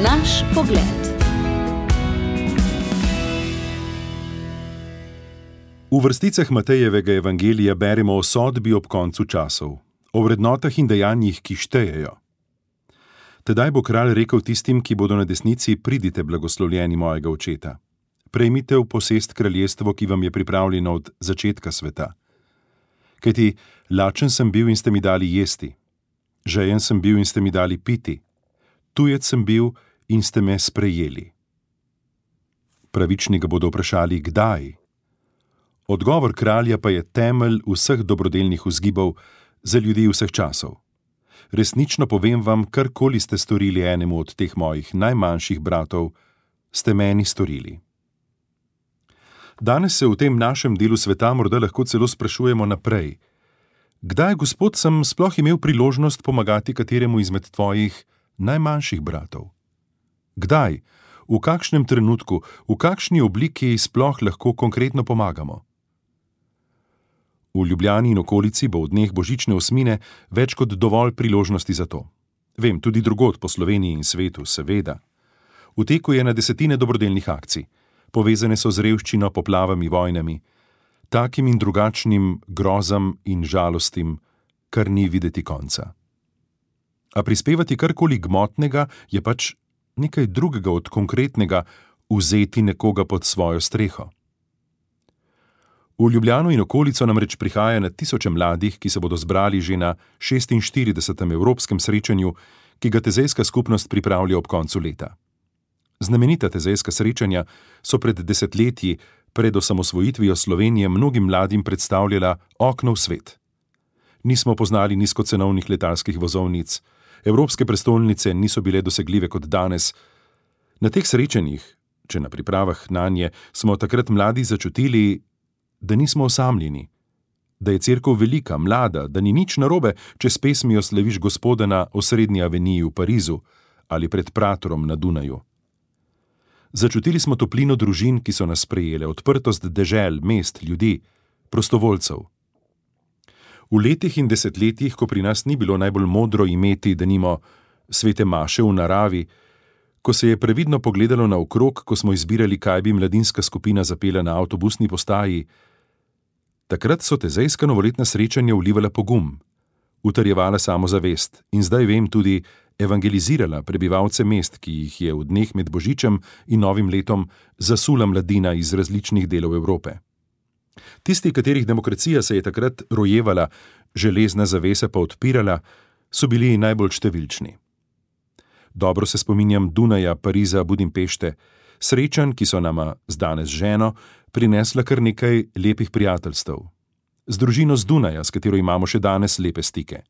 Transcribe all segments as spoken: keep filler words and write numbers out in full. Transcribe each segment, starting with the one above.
Naš pogled. V vrsticah Matejevega evangelija beremo o sodbi ob koncu časov, o vrednotah in dejanjih, ki štejejo. Tedaj bo kralj rekel tistim, ki bodo na desnici: pridite, blagoslovljeni mojega očeta. Prejmite v posest kraljestvo, ki vam je pripravljeno od začetka sveta. Kajti lačen sem bil in ste mi dali jesti, žejen sem bil in ste mi dali piti, tujec sem bil in ste me sprejeli. Pravični ga bodo vprašali, kdaj? Odgovor kralja pa je temelj vseh dobrodelnih vzgibov za ljudi vseh časov. Resnično povem vam, karkoli ste storili enemu od teh mojih najmanjših bratov, ste meni storili. Danes se v tem našem delu sveta morda lahko celo sprašujemo naprej. Kdaj, Gospod, sem sploh imel priložnost pomagati kateremu izmed tvojih najmanjših bratov? Kdaj, v kakšnem trenutku, v kakšni obliki sploh lahko konkretno pomagamo? V Ljubljani in okolici bo v dneh božične osmine več kot dovolj priložnosti za to. Vem, tudi drugod po Sloveniji in svetu, seveda. V teku je na desetine dobrodelnih akcij. Povezane so z revščino, poplavami, vojnami, takim in drugačnim grozam in žalostim, kar ni videti konca. A prispevati karkoli gmotnega je pač nekaj drugega od konkretnega vzeti nekoga pod svojo streho. V Ljubljano in okolico namreč prihaja na tisoče mladih, ki se bodo zbrali že na šestinštiridesetem evropskem srečanju, ki ga tezejska skupnost pripravlja ob koncu leta. Znamenita tezejska srečanja so pred desetletji, pred osamosvojitvijo Slovenije, mnogim mladim predstavljala okno v svet. Nismo poznali nizkocenovnih letalskih vozovnic, evropske prestolnice niso bile dosegljive kot danes. Na teh srečanjih, če na pripravah nanje, smo takrat mladi začutili, da nismo osamljeni, da je cerkev velika, mlada, da ni nič narobe, če s pesmijo slaviš Gospoda na osrednji aveniji v Parizu ali pred Pratorom na Dunaju. Začutili smo toplino družin, ki so nas sprejele, odprtost dežel, mest, ljudi, prostovoljcev. V letih in desetletjih, ko pri nas ni bilo najbolj modro imeti, denimo, svete maše v naravi, ko se je previdno pogledalo naokrog, ko smo izbirali, kaj bi mladinska skupina zapela na avtobusni postaji, takrat so tezejska novoletna srečanja vlivala pogum, utrjevala samozavest in zdaj vem tudi evangelizirala prebivalce mest, ki jih je v dneh med Božičem in Novim letom zasula mladina iz različnih delov Evrope. Tisti, katerih demokracija se je takrat rojevala, železna zavesa pa odpirala, so bili najbolj številčni. Dobro se spominjam Dunaja, Pariza, Budimpešte, srečanj, ki so nama z danes ženo prinesla kar nekaj lepih prijateljstev. Z družino z Dunaja, s katero imamo še danes lepe stike.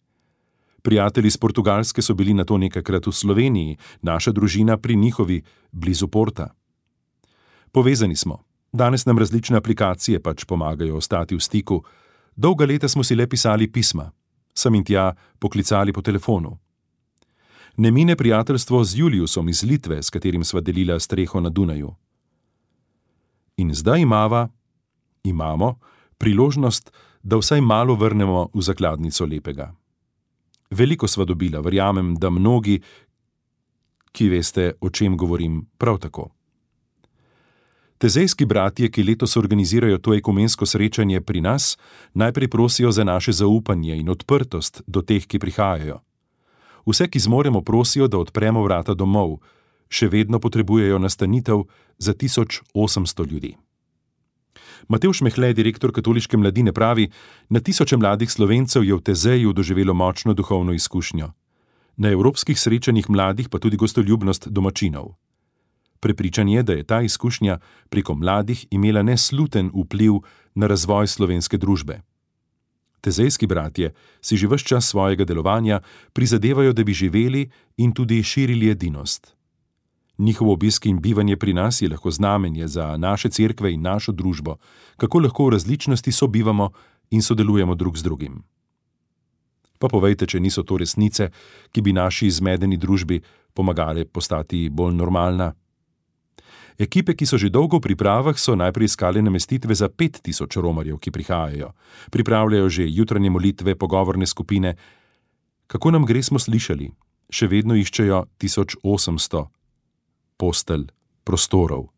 Prijatelji z Portugalske so bili nato nekajkrat v Sloveniji, naša družina pri njihovi, blizu Porta. Povezani smo. Danes nam različne aplikacije pač pomagajo ostati v stiku. Dolga leta smo si le pisali pisma, sem in tja poklicali po telefonu. Ne mine prijateljstvo z Juliusom iz Litve, s katerim sva delila streho na Dunaju. In zdaj imava, imamo, priložnost, da vsaj malo vrnemo v zakladnico lepega. Veliko sva dobila, verjamem, da mnogi, ki veste, o čem govorim, prav tako. Tezejski bratje, ki letos organizirajo to ekumensko srečanje pri nas, najprej prosijo za naše zaupanje in odprtost do teh, ki prihajajo. Vse, ki zmoremo, prosijo, da odpremo vrata domov, še vedno potrebujejo nastanitev za tisoč osemsto ljudi. Matevž Mehle, direktor katoliške mladine, pravi, na tisoče mladih Slovencev je v Tezeju doživelo močno duhovno izkušnjo. Na evropskih srečanjih mladih pa tudi gostoljubnost domačinov. Prepričan je, da je ta izkušnja preko mladih imela nesluten vpliv na razvoj slovenske družbe. Tezejski bratje si že ves čas svojega delovanja prizadevajo, da bi živeli in tudi širili edinost. Njihov obisk in bivanje pri nas je lahko znamenje za naše cerkve in našo družbo, kako lahko v različnosti sobivamo in sodelujemo drug z drugim. Pa povejte, če niso to resnice, ki bi naši zmedeni družbi pomagale postati bolj normalna. Ekipe, ki so že dolgo v pripravah, so najprej iskale namestitve za pet tisoč romarjev, ki prihajajo. Pripravljajo že jutranje molitve, pogovorne skupine. Kako nam gre, smo slišali. Še vedno iščejo tisoč osemsto. postelj, prostorov.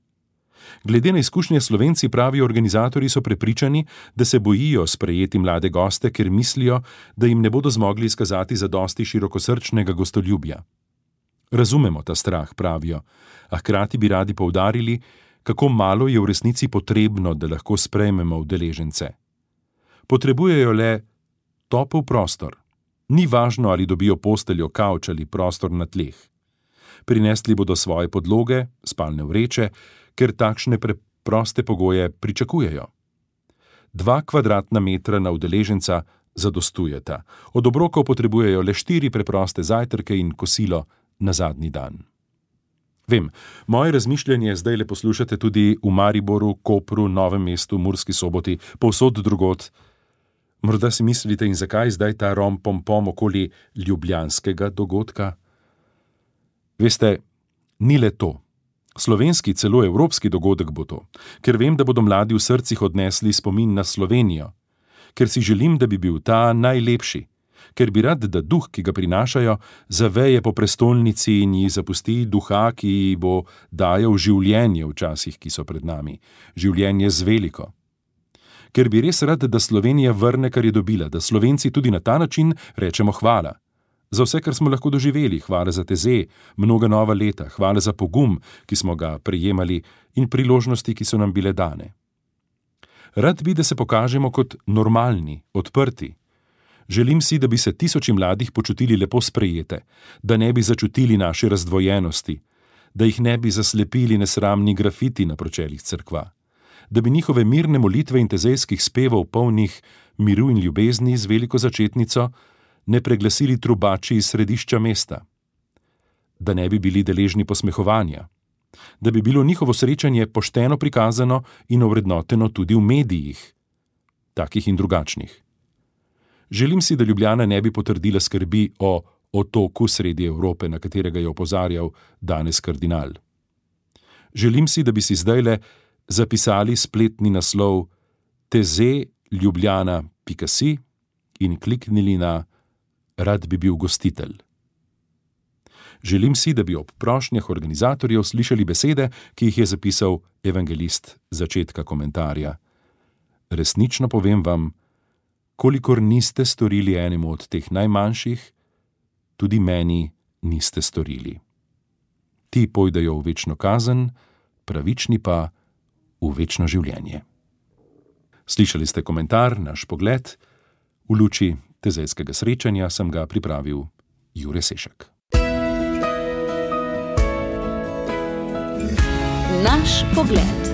Glede na izkušnje Slovenci, pravijo organizatorji, so prepričani, da se bojijo sprejeti mlade goste, ker mislijo, da jim ne bodo zmogli izkazati zadosti širokosrčnega gostoljubja. Razumemo ta strah, pravijo, a hkrati bi radi poudarili, kako malo je v resnici potrebno, da lahko sprejmemo udeležence. Potrebujejo le topel prostor. Ni važno, ali dobijo posteljo, kavč ali prostor na tleh. Prinesli bodo svoje podloge, spalne vreče, ker takšne preproste pogoje pričakujejo. Dva kvadratna metra na udeleženca zadostujeta. Od obrokov potrebujejo le štiri preproste zajtrke in kosilo na zadnji dan. Vem, moje razmišljanje zdaj le poslušate tudi v Mariboru, Kopru, Novem mestu, Murski Soboti, povsod drugod. Morda si mislite, in zakaj zdaj ta rom-pom-pom okoli ljubljanskega dogodka? Veste, ni le to. Slovenski, celo evropski dogodek bo to, ker vem, da bodo mladi v srcih odnesli spomin na Slovenijo, ker si želim, da bi bil ta najlepši, ker bi rad, da duh, ki ga prinašajo, zaveje po prestolnici in ji zapusti duha, ki ji bo dajal življenje v časih, ki so pred nami, življenje z veliko. Ker bi res rad, da Slovenija vrne, kar je dobila, da Slovenci tudi na ta način rečemo hvala. Za vse, kar smo lahko doživeli, hvala za teze, mnoga nova leta, hvala za pogum, ki smo ga prejemali, in priložnosti, ki so nam bile dane. Rad bi, da se pokažemo kot normalni, odprti. Želim si, da bi se tisoči mladih počutili lepo sprejete, da ne bi začutili naše razdvojenosti, da jih ne bi zaslepili nesramni grafiti na pročelih cerkva, da bi njihove mirne molitve in tezejskih spevov polnih miru in ljubezni z veliko začetnico ne preglasili trubači iz središča mesta, da ne bi bili deležni posmehovanja, da bi bilo njihovo srečanje pošteno prikazano in ovrednoteno tudi v medijih, takih in drugačnih. Želim si, da Ljubljana ne bi potrdila skrbi o otoku sredi Evrope, na katerega je opozarjal danes kardinal. Želim si, da bi si zdajle zapisali spletni naslov teze ljubljana pika si in kliknili na Rad bi bil gostitelj. Želim si, da bi ob prošnjah organizatorjev slišali besede, ki jih je zapisal evangelist začetka komentarja. Resnično povem vam, kolikor niste storili enemu od teh najmanjših, tudi meni niste storili. Ti pojdejo v večno kazen, pravični pa v večno življenje. Slišali ste komentar, naš pogled. V luči tezejskega srečanja sem ga pripravil Jure Sešek. Naš pogled.